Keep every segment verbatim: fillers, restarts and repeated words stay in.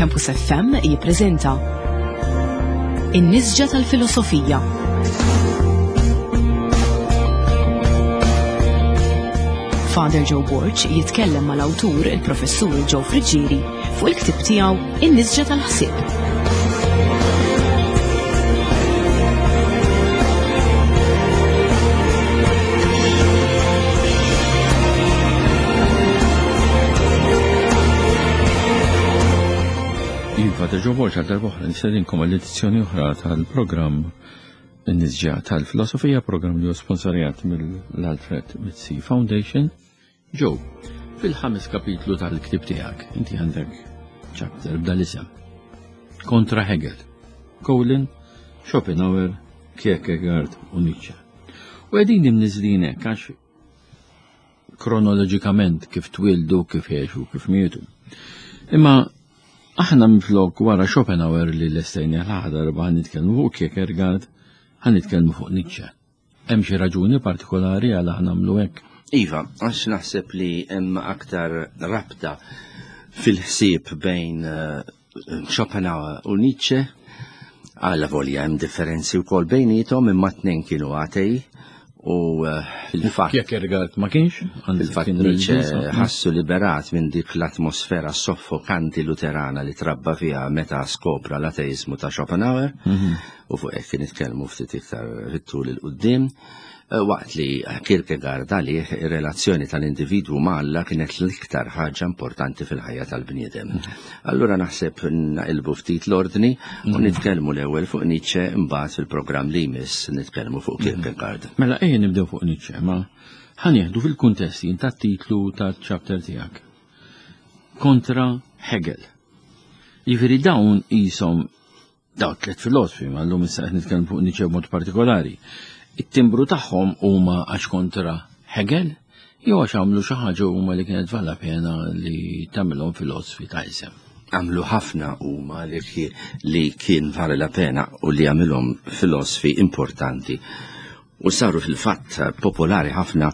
Campus F M jippreżenta In-Nisġa tal-Filosofija. Father Joe Borg jitkellem mal-awtur il-Professur Joe Friggieri fuq il-ktieb tiegħu In-Nisġa tal-Ħsieb. Father Joe Borg għal darb'oħra nistedinkom għall-edizzjoni oħra tal-programm In-Nisġa tal-Filosofija, programm li hu sponsorjat mill-Alfred Mizzi Foundation. Joe, fil-ħames kapitlu tal-ktieb tiegħek, inti għandek chapter b'dal-isem. Kontra Hegel, Colin, Schopenhauer, Kierkegaard u Nietzsche. U qegħdin imniżlin hekk għax kronoloġikament kif twildu, kif għexu, kif mietu. Imma aħna minflok wara Schopenhauer li lestejna l-aħħar darba ħa nitkellmu fuq Kierkegaard, ħa nitkellmu fuq Nietzsche. Hemm xi raġuni partikolari għal aħna nagħmlu hekk? Iva, għax naħseb li hemm aktar rabta fil-ħsieb bejn, eh, Schopenhauer u Nietzsche. Għala volja hemm differenzi wkoll bejniethom, imma tnejn kienu atei. U, eh, fil-fatt Kierkegaard ma kienx? Anzi, fil-fatt kien Nietzsche reliġjuż, ħassu liberat minn dik l-atmosfera soffokanti luterana li trabba fiha meta skopra l-ateizmu ta' Schopenhauer, Mhm. u fuq hekk nitkellmu ftit iktar fit-tul il quddiem. Eh, waqt li Kierkegaard għalih ir-relazzjoni tal-individwu ma' Alla kienet l-iktar ħaġa importanti fil-ħajja tal-bniedem. Allura naħseb naqilbu ftit l-ordni u Mhm. nitkellmu l-ewwel fuq Nietzsche, imbagħad fil-programm li jmiss nitkellmu fuq Mhm. Kierkegaard. Mela ejja nibdew fuq Nietzsche, ma ħanieħdu fil-kuntesti tat-titlu tal-chapter tiegħek. Kontra Hegel. Jiġifieri dawn qishom dawn tliet filosofi, ma llum issa qed nitkellmu fuq Nietzsche b'mod partikolari. It-timbru tagħhom huma għax kontra Hegel jew għax għamlu xi ħaġa huma li kienet vala pena li tagħmilhom filosofi ta' isem. Għamlu ħafna huma li ki-, li kien vale la pena u li għamilhom filosofi importanti u saru fil-fatt popolari ħafna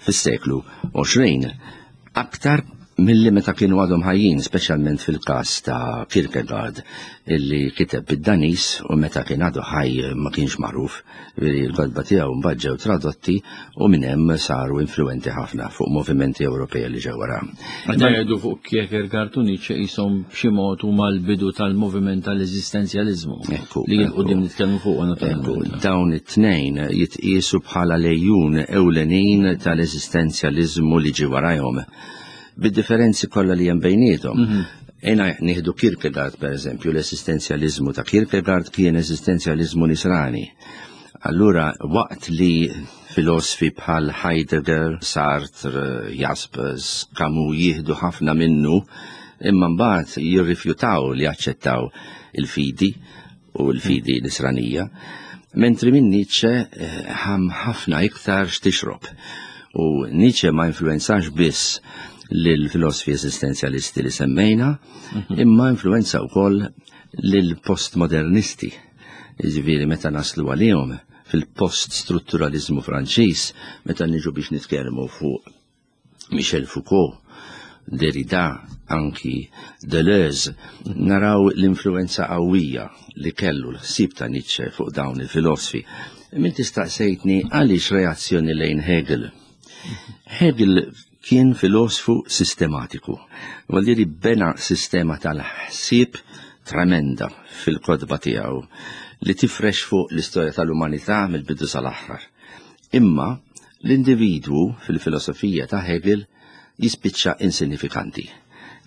fis-seklu għoxrin, aktar milli meta kienu għadhom ħajjin, speċjalment fil-każ ta' Kierkegaard illi kiteb bid-Danis u meta kien għadu ħaj ma kienx magħruf, veri l-kotba tiegħu mbagħad ġew tradotti u minn hemm saru influenti ħafna fuq movimenti Ewropej li ġew wara. Meta jgħidu fuq Kierkegaard u Nietzsche qishom b'xi mod huma l-bidu tal-moviment tal-eżistenzjaliżmu Ekku, li jien quddiem ekku. nitkellmu fuq naturalment. Ekku, dawn it-tnejn jitqiesu bħala lejun ewlenin tal-eżistenzjaliżmu li ġie warajhom, bid-differenzi kollha li hemm bejniethom. Mhm. Ejna nieħdu Kierkegaard per eżempju, l-esistenzjaliżmu ta' Kierkegaard kien esistenzjaliżmu nisrani. Allura waqt li filosofi bħal Heidegger, Sartre, Jaspers, Camus jieħdu ħafna minnu, imma mbagħad jirrifjutaw li jaċċettaw il-fidi u l-fidi nisranija, mentri minn Nietzsche, eh, ħam ħafna iktar x'tixrob. U Nietzsche ma influenzax biss lill-filosofi esistenzjalisti li semmejna, Mhm. imma influenza wkoll lill-postmodernisti. Jiġifieri meta naslu għalihom fil-post-strutturalizmu Franċiż, meta niġu biex nitkellmu fuq Michel Foucault, Derrida, anki Deleuze, naraw l-influenza qawwija li kellu l-ħsieb ta' Nietzsche fuq dawn il-filosofi. Min tistaqsejtni għaliex reazzjoni lejn Hegel. Hegel kien filosofu sistematiku, vuol dire bena sistema tal-ħsieb tremenda fil-kotba tiegħu li tifrex fuq l-istorja tal-umanità mill-bidu sal-aħħar. Imma l-individwu fil-filosofija ta' Hegel jispiċċa insignifikanti.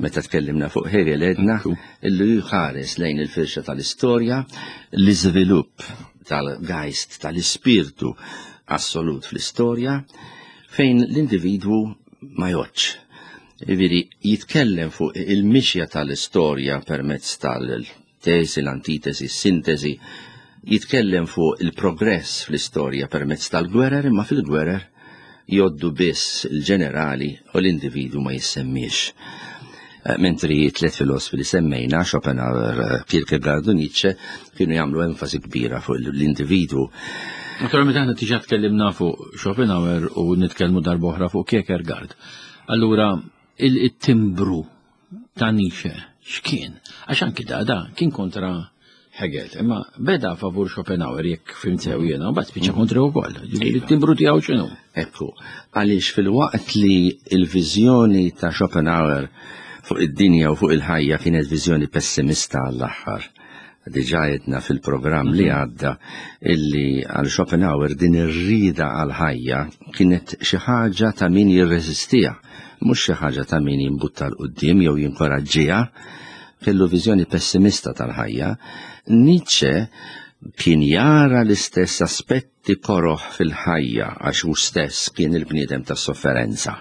Meta tkellimna fuq Hegel għedna Ekku. illi jħares lejn il-firxa tal-istorja, l-iżvilupp tal-geist, tal-ispirtu assolut fl-istorja, fejn l-individwu ma jgħodx. Jiġifieri jitkellem fuq il-mixja tal-istorja permezz tal-tesi, l-antitesi, s-sintesi, jitkellem fuq il-progress fl-istorja permezz tal-gwerer, imma fil-gwerer joddu biss il-ġenerali u l-individwu ma jissemmiex. Eh, mentri tliet filosofi li semmejna, Schopenhauer, Kierkegaard u Nietzsche, kienu jagħmlu enfasi kbira fuq l-individwu. Naturalment aħna diġà tkellimna fuq Schopenhauer u nitkellmu darb'oħra fuq Kierkegaard. Allura il-timbru ta' Nietzsche x'kien? Għax anki da da kien kontra Hegel, imma beda favur Schopenhauer jekk fhimt sew jiena, u mbagħad spiċċa kontra wkoll. Ġifieri t-timbru tiegħu x'inhu? Ekku, għaliex fil-waqt li l-viżjoni ta' Schopenhauer fuq id-dinja u fuq il-ħajja kienet viżjoni pessimista għall-aħħar. Diġà għedna fil-programm li għadda illi għal Schopenhauer din ir-rida għal-ħajja kienet xi ħaġa ta' min jirreżistiha, mhux xi ħaġa ta' min jimbutta 'l quddiem jew jinkoraġġiha. Kellu viżjoni pessimista tal-ħajja. Nietzsche kien jara l-istess aspetti koroh fil-ħajja għax hu stess kien il-bniedem tas-sofferenza.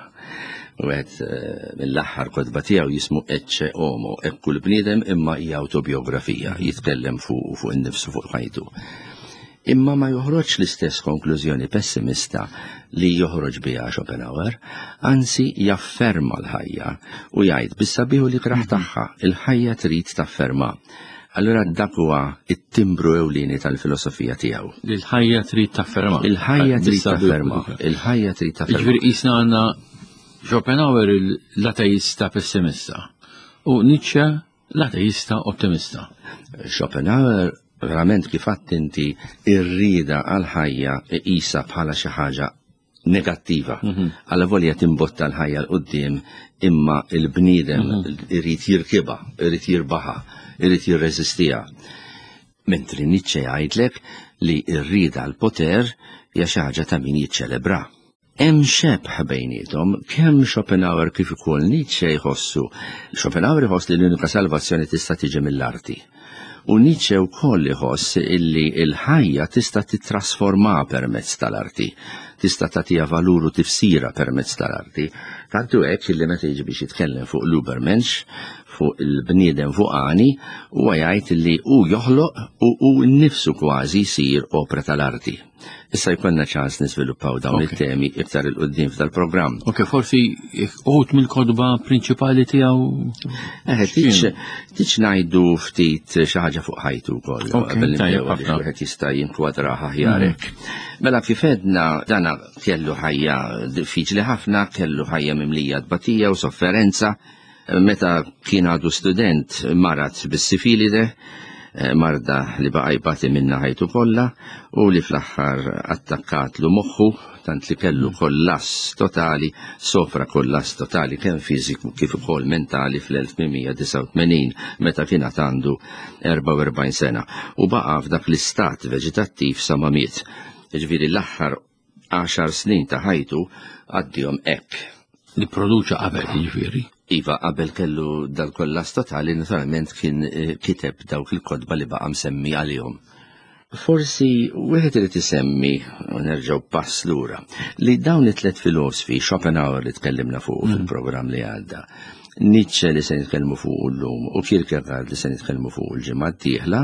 Wieħed mill-aħħar kotba tiegħu jismu Ecce Homo, ekku l-bniedem, imma hija autobiografija, jitkellem fuq fuq innifsu, fuq ħajtu. Imma ma joħroġ l-istess konklużjoni pessimista li joħroġ biha Schopenhauer, anzi jafferma l-ħajja u jgħid bis-sabiħ u l-ikrah tagħha, il-ħajja trid tafferma. Allura dak huwa it-timbru ewlieni tal-filosofija tiegħu. Il-ħajja trid tafferma. Il-ħajja trid tafferma. Il-ħajja trid tafferma. Jiġifieri qisna għandna Schopenhauer l-ateista pessimista u Nietzsche l-ateista ottimista. Schopenhauer verament kif għedt inti ir-rida għal-ħajja iqisha bħala xi ħaġa negattiva. Alla volja timbotta l-ħajja 'l quddiem, imma il-bniedem irid jirkibha, irid jirbaħha, irid jirreżistiha. Mentri Nietzsche jgħidlek li r-rida għall-poter hija xi ħaġa ta' min jiċċelebra. Hemm xebh bejniethom, kemm Schopenhauer kif ukoll Nietzsche jħossu. Schopenhauer jħoss li l-unika salvazzjoni tista' tiġi mill-arti. U Nietzsche wkoll iħoss illi l-ħajja tista' titrasforma permezz tal-arti, tista' tagħtiha valur u tifsira permezz tal-arti. Tantu hekk illi meta jiġi biex jitkellem fuq l-Übermensch, fuq il-bniedem fuqani, huwa jgħid li hu joħloq u hu nnifsu kważi jsir opra tal-arti. Issa jkollna ċans niżviluppaw dawn it-temi iktar 'il quddiem f'dal-programm. Ok, forsi uħud mill-kotba prinċipali tiegħu. Eh, tiċ ngħidu ftit xi ħaġa fuq ħajtu wkoll. Ok, tajjeb ħafna. Wieħed jista' jinkwadra aħjar hekk. Mela kif għedna dana kellu ħajja diffiċli ħafna, kellu ħajja mimlija tbatija u sofferenza. Meta kien għadu student marat bis-sifilide, marda li baqa' jbati minna ħajtu kollha u li fl-aħħar attakkat lu moħħu tant li kellu kollass totali, sofra kollass totali kemm fiżiku kif ukoll mentali fl-elf tmien mija disgħa u tmenin meta kien għad għandu erbgħa u erbgħin sena u baqa' f'dak l-istat veġetattiv sa ma miet. Jiġifieri l-aħħar għaxar snin ta' ħajtu għaddihom hekk. Li produċa qabel, jiġifieri. Iva, qabel kellu dal-kollass totali, naturalment kien, eh, kiteb dawk il-kotba li baqa' msemmi għalihom. Forsi wieħed irid isemmi, u nerġgħu pass lura, li dawn it-tliet filosfi, Schopenhauer li tkellimna fuq Mm. fil-programm li għadda, Nietzsche li se nitkellmu fuq llum u Kierkegaard li se nitkellmu fuq il-ġimgħa d-dieħla,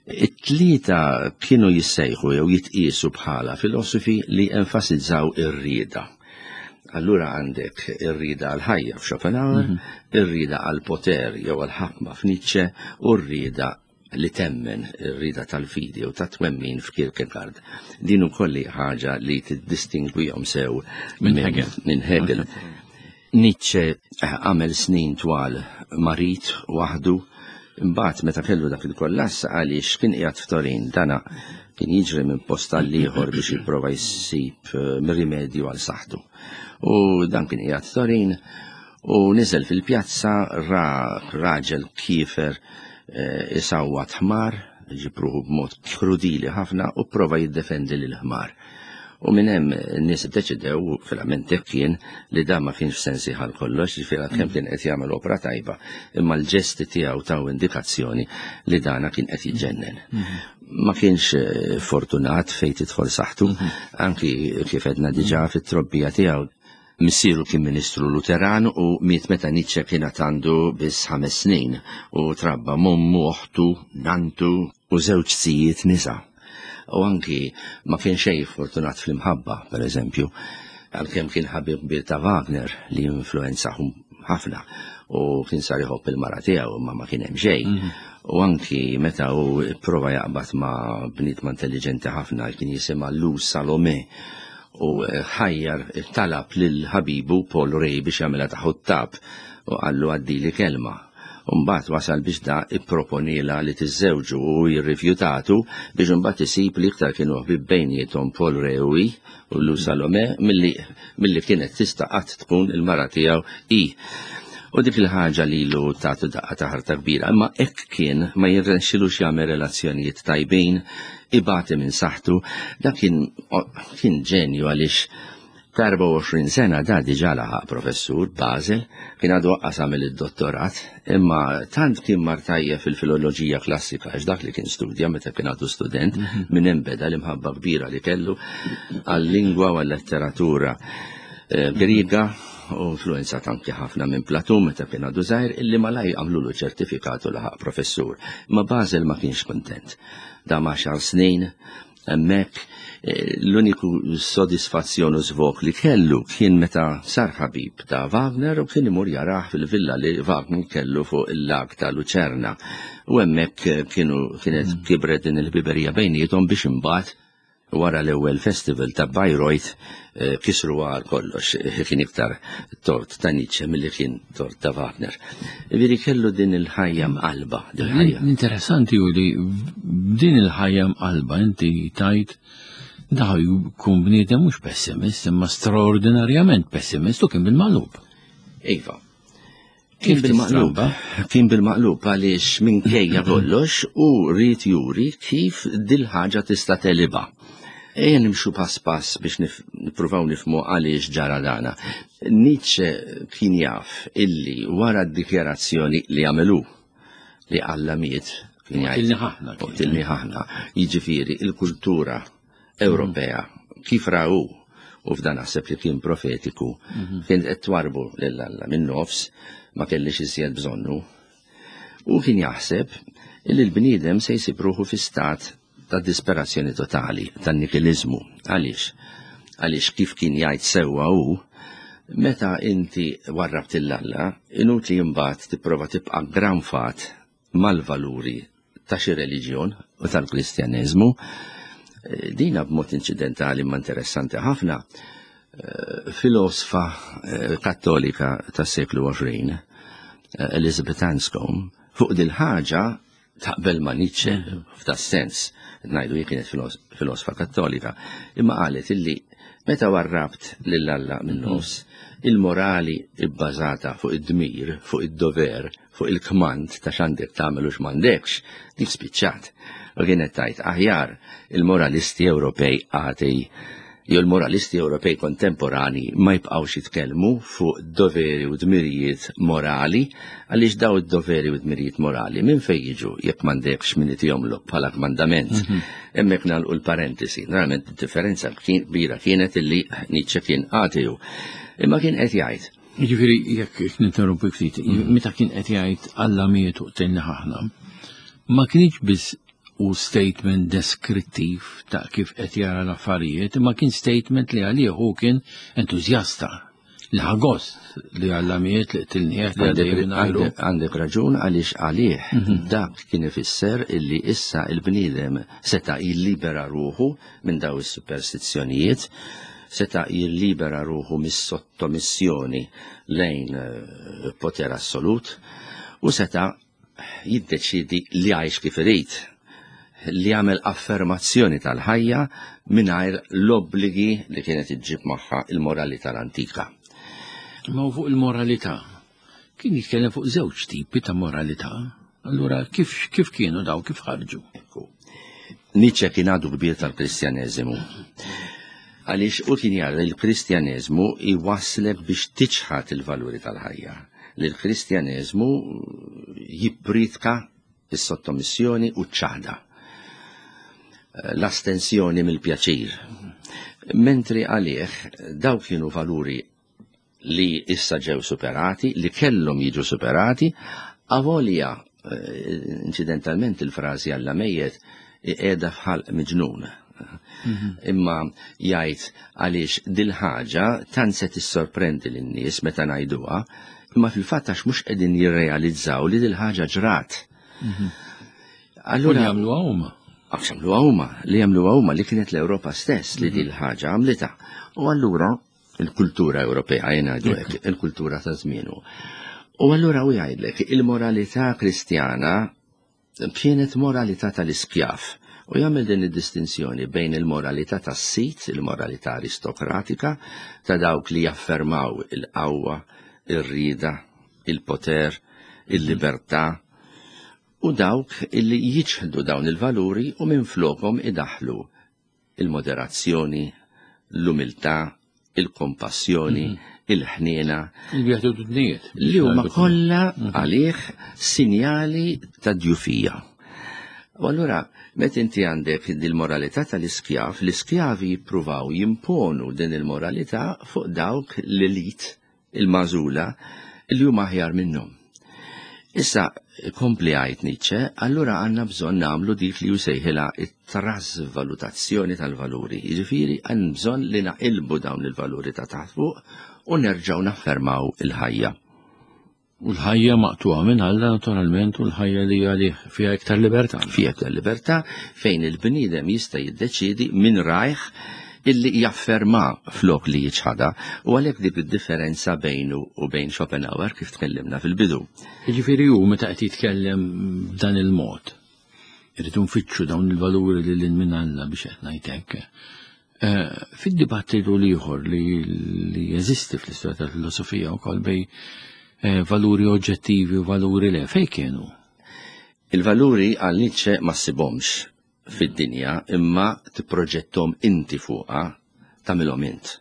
it-tlieta kienu jissejħu jew jitqiesu bħala filosofi li enfasizzaw ir-rieda. Allura għandek ir-rieda għal-ħajja f'Schopenhauer, Mhm. ir-rieda għal-poter jew għal-ħakma f'Nietzsche u r-rieda li temmen, ir-rieda tal-fidi u ta' twemmin f'Kierkegaard. Din ukoll hi ħaġa li tiddistingwihom sew Minn minn Hegel. minn Hegel. Nietzsche għamel snin twal marid waħdu, imbagħad meta kellu dak il-kollass għaliex kien qiegħed f'Torin, dana kien jiġri minn post għal ieħor biex jipprova jsib, eh, rimedju għal saħħtu. U dan kien qiegħed f'Torin u niżel fil-pjazza ra raġel kiefer, eh, isawwat ħmar, ġibruħu b'mod krudili ħafna u prova jiddefendi lil ħmar. U minn hemm n-nies iddeċidew, verament hekk kien, li dan ma kienx f'sensi ħal kollox, ġifieri kemm kien qed jagħmel opra tajba, imma l-ġesti tiegħu taw indikazzjoni li dana kien qed jiġġennen. Ma kienx, eh, fortunat fejn tidħol saħħtu, anki kif għedna diġà fit-trobbija tiegħu. Missieru kien ministru Luteran u miet meta Nietzsche kien għad għandu biss ħames snin u trabba m'ommu, oħtu, nantu u żewġ sijiet nisa. U anki ma kien xejn fortunat fl-imħabba, per eżempju, għalkemm kien ħabib kbir ta' Wagner li influenzahu ħafna u kien sar iħobb il-mara tiegħu imma ma kien hemm xejn. Mhm. U anki meta hu prova jaqbad ma' bniedma intelligenti ħafna kien jisimha Lou Salome u ħajjar talab lil ħabibu Paul Rée biex jagħmilha ta' ħuttab u qallu għaddili kelma. Mbagħad wasal biex da ipproponila li tiżżewġu u jirrifjutatu biex imbagħad isib li iktar kienu ħbieb bejniethom Paul Reuy u Lou Salome milli milli kienet tista' qatt tkun il-mara tiegħu i. U dik il-ħaġa lilu tagħtu daqqa ta' ħarta kbira, imma hekk kien ma jirnexxilux jagħmel relazzjonijiet tajbin, ibati minn saħħtu, dak kien kien ġenju għaliex ta' erbgħa u għoxrin sena da diġà laħaq professur Basel, kien għadu waqqas għamel id-dottorat, imma tant kien mar tajjeb fil-filoloġija klassika, għax dak li kien studja meta kien għadu student, minn hemm beda l-imħabba kbira li kellu għal-lingwa u għal-letteratura Griega, u influenzat anki ħafna minn Platun meta kien għadu żgħir, illi malaj għamlulu ċertifikat u laħaq professur. Ma Basel ma kienx kontent. Dam għaxar snin hemmhekk, l-uniku sodisfazzjon u żvok li kellu kien meta sar ħabib ta' Wagner u kien imur jarah fil-villa li Wagner kellu fuq il-lag ta' Lucerna. U hemmhekk kienu kienet kibret din il-ħbiberija bejniethom biex imbagħad wara l-ewwel festival ta' Bayreuth kisru għal kollox, kien iktar tort ta' Nietzsche milli kien tort ta' Wagner. Veri kellu din il-ħajja mqalba, din il-ħajja. Interessanti hu li din il-ħajja mqalba inti tajt daħ jkun bniedem mhux pessimist, imma straordinarjament pessimist u kien bil-maqlub. Iva. Kien bil-maqlub, kien bil-maqlub għaliex minkejja kollox u rrid juri kif dil-ħaġa tista' teliba. Ejja nimxu pass pass biex nippruvaw nifhmu għaliex ġara dana. Nietzsche kien jaf illi wara d-dikjarazzjoni li għamelu li Alla miet, kien jgħid, Qtilni ħafna, jiġifieri il-kultura Ewropea kif rahu, u f'dan naħseb li kien profetiku, kien qed twarbu lil Alla minn nofs, ma kellix iżjed bżonnu. U kien jaħseb illi l-bniedem se jsib ruħu fi stat ta' disperazzjoni totali, ta' nikilizmu. Għaliex? Għaliex kif kien jgħid sewwa hu, meta inti warrabt il-Alla, inutli imbagħad tipprova tibqa' granfat mal-valuri ta' xi reliġjon u tal-Kristjaneżmu. Dina b'mod inċidentali ma interessanti ħafna, filosfa kattolika tas-seklu għoxrin, Elizabeth Anscombe, fuq dil-ħaġa taqbel ma' Nietzsche f'da sens, ngħidu hi kienet filosfa kattolika, imma qalet illi meta warrabt lil Alla minn nofs, il-morali bbażata fuq id-dmir, fuq id-dover, fuq il-kmand ta' x'għandek tagħmel u x'm'għandekx, dik spiċċat. U kienet tajt aħjar il-moralisti Ewropej għatej jew il-moralisti Ewropej kontemporani ma jibqgħux jitkellmu fuq doveri u dmirijiet morali, għaliex daw id-doveri u dmirijiet morali minn fejn jiġu jekk m'għandekx min itihomlok bħala kmandament. Hemmhekk nagħlqu l-parentesi. Naturalment id-differenza kbira kienet illi Nietzsche kien ateu. Imma kien qed jgħid. Jiġifieri jekk ninterrompi ftit, meta kien qed jgħid Alla miet u qtilni ħafna, ma kienx biss u statement deskrittiv ta' kif qed jara l-affarijiet, imma kien statement li għalih hu kien entużjasta, li ħa gost li Alla miet li qtilnieh li għaddej minn għajru. Għandek raġun għaliex għalih dak kien ifisser illi issa il-bniedem seta' jillibera ruħu minn daw is-superstizzjonijiet, seta' jillibera ruħu mis-sottomissjoni lejn poter assolut u seta' jiddeċidi li jgħix kif irid, li jagħmel affermazzjoni tal-ħajja mingħajr l-obbligi li kienet iġġib magħha il-moralità l-antika. Ma fuq il-moralità, kien jitkellem fuq żewġ tipi ta' moralità. Allura kif, kif kienu daw, kif ħarġu? Ekku. Nietzsche kien għadu kbir tal-Kristjaneżimu. Għaliex u kien jara li l-Kristjaneżmu jwasslek biex tiċħad il-valuri tal-ħajja. Li l-Kristjaneżmu jippritka is-sottomissjoni u ċ-ċaħda, l-astensjoni mill-pjaċir. Mentri għalih daw kienu valuri li issa ġew superati, li kellhom jiġu superati, avolja incidentalment il-frażi Alla mejjet qiegħda f'ħalq miġnun. Imma jgħid għaliex dil-ħaġa tant se tissorprendi lin-nies meta ngħiduha, imma fil-fatt għax mhux qegħdin jirrealizzaw li dil-ħaġa ġrat. Allura jagħmluha huma. Għax jagħmluha huma, li jagħmluha huma li kienet l-Ewropa stess li dil-ħaġa għamlitha. U allura il-kultura Ewropea, jien ngħidu hekk, il-kultura ta' żmienu. U allura u jgħidlek, il-moralità Kristjana kienet moralità tal-iskjav. U jagħmel din id-distinzjoni bejn il-moralità tas-sit, il-moralità aristokratika, ta' dawk li jaffermaw il-qawwa, ir-rieda, il-poter, il-libertà, u dawk illi jiċħdu dawn il-valuri u minflokhom idaħlu il-moderazzjoni, l-umiltà, il-kompassjoni, il-ħniena, Il-beatitudnijiet. li huma kollha għalih sinjali ta' djufija. U allura, meta inti għandek dil-moralità tal-iskjav, l-iskjavi jippruvaw jimponu din il-moralità fuq dawk l-elit, il-magħżula, li huma aħjar minnhom. Issa, kompli għajt Nietzsche, allura għandna bżonn nagħmlu dik li jsejħilha it-trasvalutazzjoni tal-valuri. Jiġifieri għandna bżonn li naqilbu dawn il-valuri ta' taħt fuq u nerġgħu naffermaw il-ħajja. U l-ħajja maqtuha minn Alla naturalment u l-ħajja li għalih fiha iktar libertà. Fiha iktar libertà fejn il-bniedem jista' jiddeċiedi minn rajh illi jafferma flok li jiċħada u għalhekk dik id-differenza bejnu u bejn Schopenhauer kif tkellimna fil-bidu. Jiġifieri hu meta qed jitkellem b'dan il-mod, irridu nfittxu dawn il-valuri li lil minn Alla biex qed ngħid hekk. Eh, Fid-dibattitu l-ieħor li li jeżisti fl-istorja tal-filosofija wkoll bejn eh, valuri oġġettivi u valuri le, fejn kienu? Il-valuri għal Nietzsche ma ssibhomx fid-dinja imma tipproġettom inti fuqha tagħmilhom int.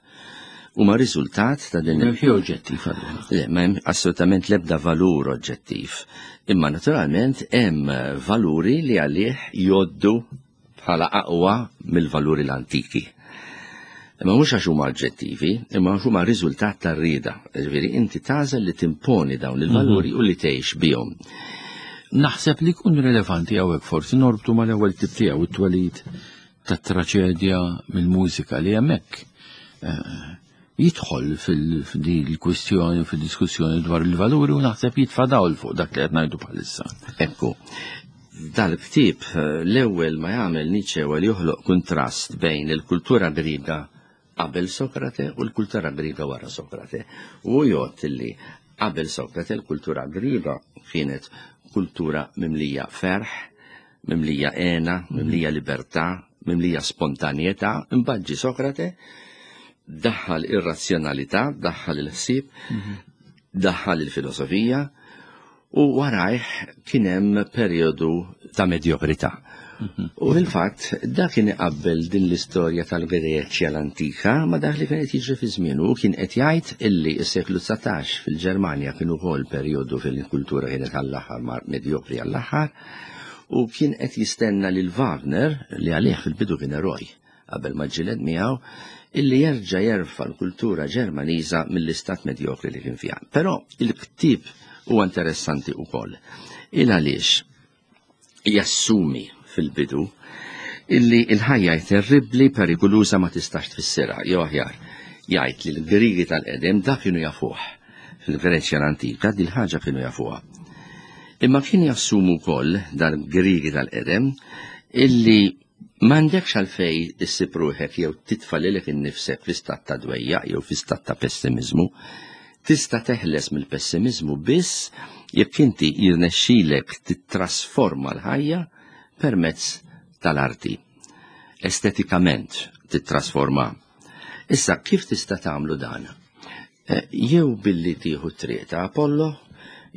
Huma riżultat ta' din M'hemm xi oġġettiv allura. Le, ma hemm assolutament l-ebda valur oġġettiv. Imma naturalment hemm valuri li għalih jgħoddu bħala aqwa mill-valuri l-antiki. Imma mhux għax huma oġġettivi, imma għax huma riżultat tar-rieda. Ġifieri inti tagħżel li timponi dawn il-valuri u li tgħix bihom. Naħseb li jkun rilevanti hawnhekk forsi norbtu mal-ewwel tip tiegħu it-twelid tat-traċedja mill-mużika li hemmhekk eh, jidħol fil-din il-kwistjoni fil-diskussjoni dwar il-valuri u naħseb jitfa' dawl fuq dak li qed ngħidu bħalissa. Ekku, dal-ktieb eh, l-ewwel ma jagħmel Nietzsche huwa li joħloq kuntrast bejn il-kultura Griega qabel Sokrate u l-kultura Griega wara Sokrate. U jgħod li qabel Sokrate l-kultura Griega kienet kultura mimlija ferħ, mimlija hena, mimlija libertà, mimlija spontanjetà, imbagħad ġie Sokrate daħħal ir-razzjonalità, daħħal il-ħsieb, daħħal il-filosofija u warajh kien hemm perjodu ta' medjokrità. U fil-fatt dak kien iqabbel din l-istorja tal-Greċja l-antika ma dak li kien qed jiġri fi żmienu u kien qed jgħid illi s-seklu dsatax fil-Ġermanja kien ukoll perjodu fejn il-kultura kienet għall-aħħar mar medjokri għall-aħħar u kien qed jistenna lil Wagner li għalih fil-bidu kien eroj qabel ma ġġieled miegħu illi jerġa' jerfa' l-kultura Ġermaniża mill-istat medjokri li kien fiha. Però il-ktieb huwa interessanti wkoll. Il għaliex jassumi fil-bidu illi il-ħajja terribbli perikoluża ma tistax tfissirha, jew aħjar jgħid li l-Griegi tal-qedem dak kienu jafuh. Fil-Greċja l-antika din ħaġa kienu jafuha. Imma kien jassumu wkoll dal-Griegi tal-qedem illi m'għandekx għalfej issib ruħek jew titfa' lilek innifsek fi stat ta' dwejjaq jew fi stat ta' pessimizmu. Tista' teħles mill-pessimizmu biss jekk inti jirnexxilek titrasforma l-ħajja permezz tal-arti. Estetikament titrasforma. Issa, kif tista' tagħmlu dan? Eh, Jew billi tieħu t-triq ta' Apollo,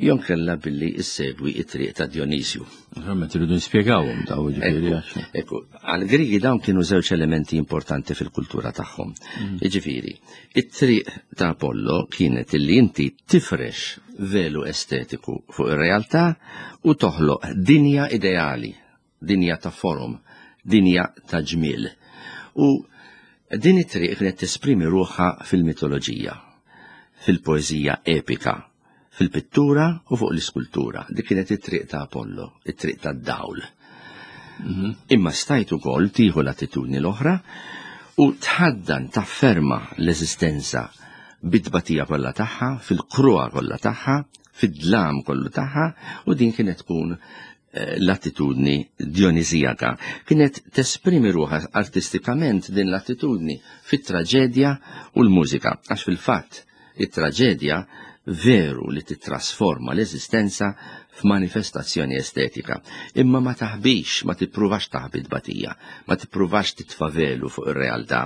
jew kella billi issegwi t-triq ta' Dionisju. Naturalment irridu nispjegawhom daw ġifieri għax. Ekku, għal-Griegi dawn kienu żewġ elementi importanti fil-kultura tagħhom. Jiġifieri, it-triq ta' Apollo kienet illi inti tifrex velu estetiku fuq ir-realtà u toħloq dinja ideali, dinja ta' forum, dinja ta' ġmiel. U din it-triq kienet tesprimi ruħha fil-mitoloġija, fil-poeżija epika, fil-pittura u fuq l-iskultura. Dik kienet it-triq ta' Apollo, it-triq ta' dawl. Imma stajt ukoll tieħu l-attitudni l-oħra u tħaddan tafferma l-eżistenza bit-tbatija kollha tagħha, fil-kruha kollha tagħha, fid-dlam kollu tagħha, u din kienet tkun eh, l-attitudni dionisijaka. Kienet tesprimi ruħha artistikament din l-attitudni fit-traġedja u l-mużika, għax fil-fatt it-traġedja Veru li titrasforma l-eżistenza f'manifestazzjoni estetika, imma ma taħbix, ma tippruvax taħbi tbatija, ma tippruvax titfa' velu fuq ir-realtà,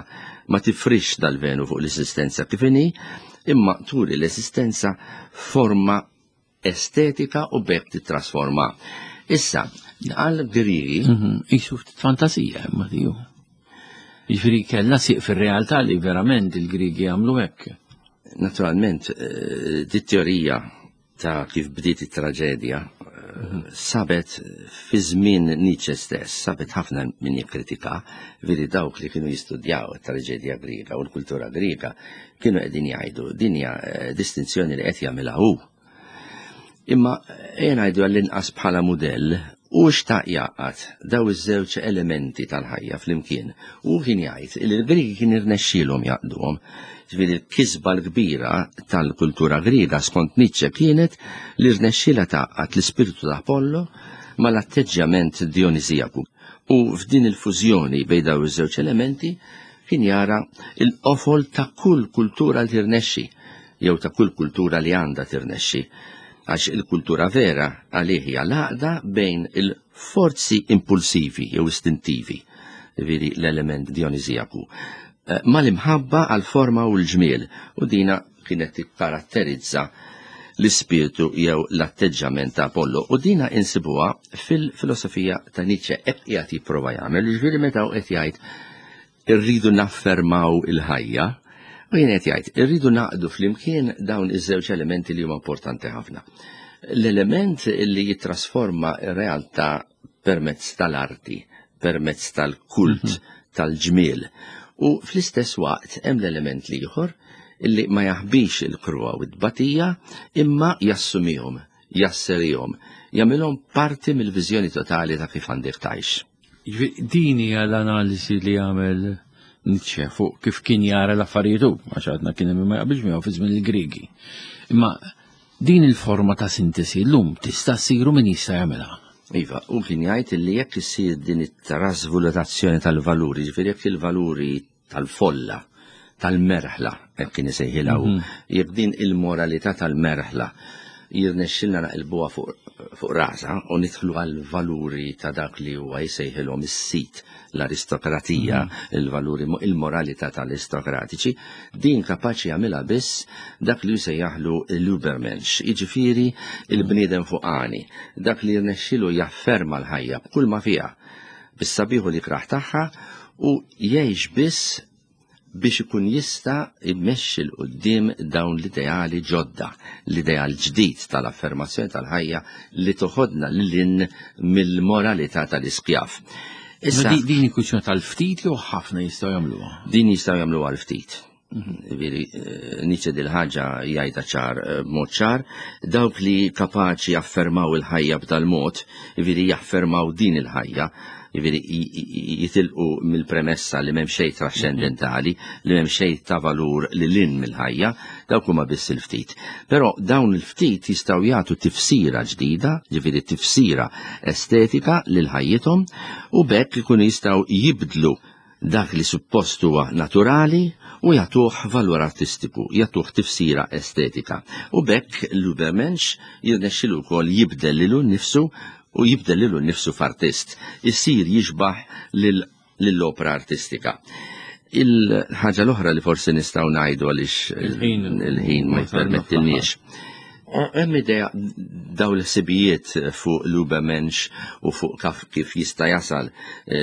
ma tifrix dal-velu fuq l-eżistenza kif inhi, imma turi l-eżistenza forma estetika u b'hekk titrasforma. Issa, għal Grigi Isu ftit fantasija, imma tiju. Jiġifieri kellha siq fir-realtà li verament il-Grigi għamlu hekk. Naturalment, eh, di teorija ta' kif bdiet it-traġedja eh, sabet fi żmien Nietzsche stess, sabet ħafna min jikkritika, veri dawk li kienu jistudjaw it-traġedja Griega u l-kultura Griega kienu qegħdin jgħidu din hija eh, distinzjoni li qed jagħmilha hu. Imma ejja ngħidu għall-inqas bħala mudell u xtaq jgħaqqad daw iż-żewġ elementi tal-ħajja flimkien. U kien jgħid li l-Griegi kien irnexxielhom jgħaqqduhom. Ġifieri l-kisba l-kbira tal-kultura Griega skont Nietzsche kienet li rnexxielha tgħaqqad l-ispirtu ta' Apollo mal-atteġġjament Dionisijaku. U f'din il-fużjoni bejn daw iż-żewġ elementi kien jara il-qofol ta' kull kultura li tirnexxi, jew ta' kull kultura li għandha tirnexxi. Għax il-kultura vera għalih hija l-għaqda bejn il-forzi impulsivi jew istintivi, ġifieri l-element Dionisijaku, eh, mal-imħabba għal-forma u l-ġmiel, u dina kienet tikkaratterizza l-ispirtu jew l-atteġġament ta' Apollo. U dina insibuha fil-filosofija ta' Nietzsche, hekk qiegħed jipprova jagħmel, ġifieri meta hu qed jgħid irridu naffermaw il-ħajja, u jien qed jgħid irridu naqdu flimkien dawn iż-żewġ elementi li huma importanti ħafna. L-element li jittrasforma r-realtà permezz tal-arti, permezz tal-kult, tal-ġmiel. U fl-istess waqt hemm l-element l-ieħor illi ma jaħbix il-kruha u t-tbatija imma jassumihom, jasserihom, jagħmilhom parti mill-viżjoni totali ta' kif għandek tgħix. Jiġifieri din hija l-analiżi li jagħmel Nietzsche fuq kif kien jara l-affarijiet hu, għax għadna kien hemm ma jaqbilx miegħu fi żmien il-Griegi. Imma din il-forma ta' sintesi llum tista' ssir u min jista' jagħmilha. Iva, u kien jgħid li jekk issir din it-trasvalutazzjoni tal-valuri, ġifieri jekk il-valuri tal-folla, tal-merħla, hekk kien isejħilha hu, jekk din il-moralità tal-merħla jirnexxilna naqilbuha fuq fuq rasa u nidħlu għal valuri ta' dak li huwa jsejħilhom is-sit, l-aristokratija, il-valuri, il-moralità tal-aristokratiċi, din kapaċi jagħmilha biss dak li jsejjaħlu l-Übermensch, jiġifieri il-bniedem fuqani, dak li jirnexxilu jafferma l-ħajja b'kull ma fiha, bis-sabiħu li kraħ tagħha u jgħix biss biex ikun jista' jmexxi 'l quddiem dawn l-ideali ġodda, l-ideal ġdid tal-affermazzjoni tal-ħajja li toħodna lil hinn mill-moralità tal-iskjav. Issa din hi kwistjoni tal-ftit jew ħafna jistgħu jagħmluha? Din jistgħu jagħmluha l-ftit. Veri, Nietzsche dil-ħaġa jgħidha ċar, b'mod ċar, dawk li kapaċi jaffermaw il-ħajja b'dal-mod, veri jaffermaw din il-ħajja, veri jitilqu mill-premessa li m'hemm xejn trascendentali, li m'hemm xejn ta' valur li lin mill-ħajja, dawk huma biss il-ftit. Però dawn il-ftit jistgħu jagħtu tifsira ġdida, ġifieri tifsira estetika lil ħajjithom, u b'hekk ikunu jistgħu jibdlu dak li suppost huwa naturali u jagħtuh valur artistiku, jagħtuh tifsira estetika. U b'hekk l-Übermensch jirnexxilu wkoll jibdel lilu nnifsu u jibdel lilu nnifsu f'artist, isir jixbaħ lill-opra artistika. Il-ħaġa l-oħra li forsi nistgħu ngħidu għaliex il-ħin ma jippermettilniex. Hemm idea daw l-ħsibijiet fuq l-Übermensch u fuq kif jista' jasal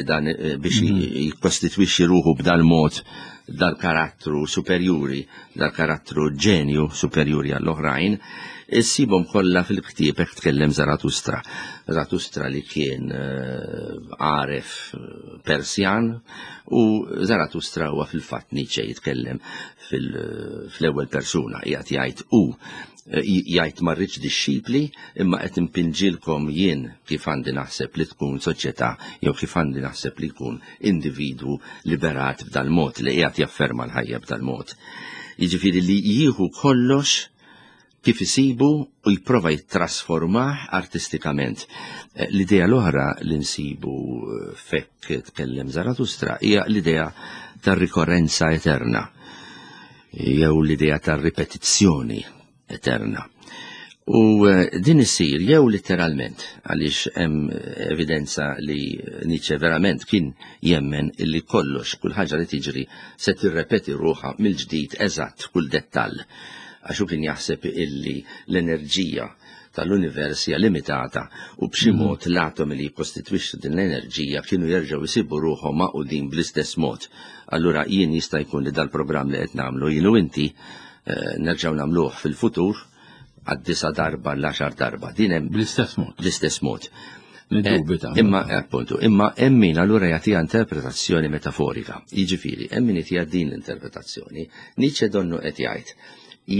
dan biex jikkostitwixxi ruħu b'dal-mod, dal-karattru superjuri, dal-karattru ġenju superjuri għall-oħrajn, issibhom kollha fil-ktieb hekk tkellem Zarathustra. Zarathustra li kien għaref Persjan, u Zarathustra huwa fil-fatt Nietzsche jitkellem fl-ewwel persuna, qiegħed jgħid hu, jgħid ma rridx dixxipli imma qed impinġilkom jien kif għandi naħseb li tkun soċjetà jew kif għandi naħseb li jkun individwu liberat b'dal-mod li qiegħed jafferma l-ħajja b'dal-mod. Jiġifieri li jieħu kollox kif isibu u jipprova jittrasformah artistikament. L-idea l-oħra li nsibu fekk tkellem Zarathustra hija l-idea tar-rikorrenza eterna jew l-idea tar-ripetizzjoni eterna. U eh, din issir jew letteralment, għaliex hemm evidenza li Nietzsche verament kien jemmen illi kollox, kull ħaġa li tiġri se tirrepeti ruħha mill-ġdid eżatt kull dettall. Għax hu kien jaħseb illi l-enerġija tal-univers hija limitata u b'xi mhm. mod l-atomi li jikkostitwixxu din l-enerġija kienu jerġgħu jsibu ruħhom magħqudin bl-istess mod. Allura jien jista' jkun li dal-programm li qed nagħmlu jien u inti eh, nerġgħu nagħmluh fil-futur għad-disa darba l-għaxar darba. Din hemm bl-istess mod. Bl-istess mod. Niddubita. Eh, imma appuntu, imma hemm min allura jagħtiha interpretazzjoni metaforika. Jiġifieri, hemm min jagħtiha din l-interpretazzjoni. Nietzsche donnu qed jgħid,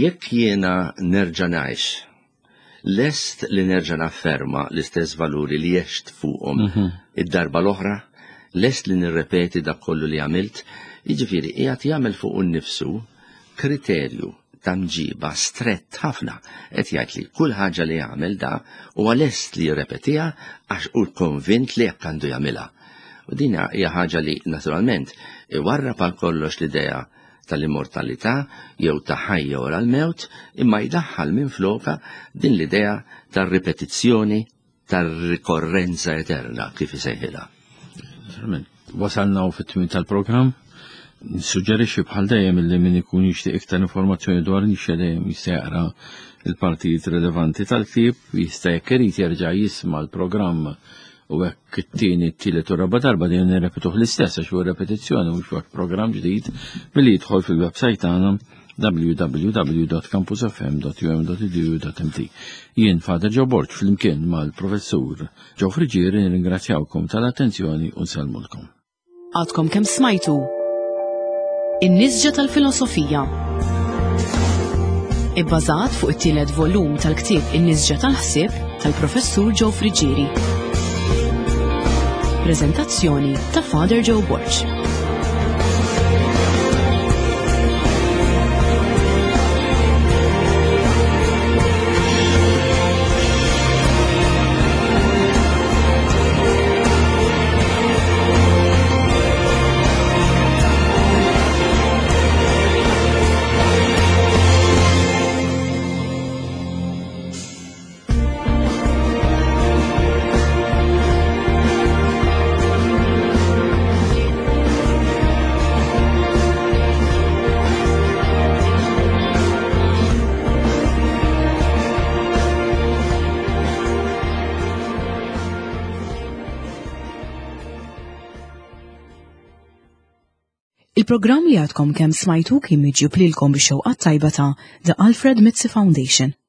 jekk jiena nerġa' ngħix, lest li nerġa' nafferma l-istess valuri li għext fuqhom mhm. id-darba l-oħra, lest li nirrepeti dak kollu li għamilt, jiġifieri qiegħed jagħmel fuq innifsu kriterju ta' mġiba strett ħafna, qed jgħid li kull ħaġa li jagħmel da huwa lest li jirrepetiha għax hu konvint li hekk għandu jagħmilha. U din hija ħaġa li naturalment iwarrab għal kollox l-idea tal-immortalità jew ta' ħajja wara l-mewt, imma jdaħħal minflokha din l-idea tar-ripetizzjoni, tar-rikorrenza eterna kif isejħilha. Naturalment, wasalna u fit-tmiem tal-programm. Nissuġġerixxi bħal dejjem illi min ikun jixtieq iktar informazzjoni dwar Nietzsche dejjem jista' jaqra il-partijiet rilevanti tal-ktieb, jista' jekk irid jerġa' jisma' l-programm u hekk it-tieni, t-tielet u raba' darba dejjem nirrepetuh l-istess għax huwa repetizzjoni mhux huwa programm ġdid billi jidħol fil-website tagħna w w w dot campus f m dot u m dot e d u dot m t. Jien Father Joe Borg flimkien mal-Professur Joe Friggieri nirringrazzjawkom tal-attenzjoni u nsellmulkom. Għadkom kemm smajtu In-Nisġa tal-Filosofija. Ibbażat fuq it-tielet volum tal-ktieb In-Nisġa tal-Ħsieb tal-Professur Joe Friggieri. Prezentazzjoni ta' Father Joe Borg. Il-programm li għadkom kemm smajtu kien miġjub lilkom bix-xewqa tajba ta' The Alfred Mizzi Foundation.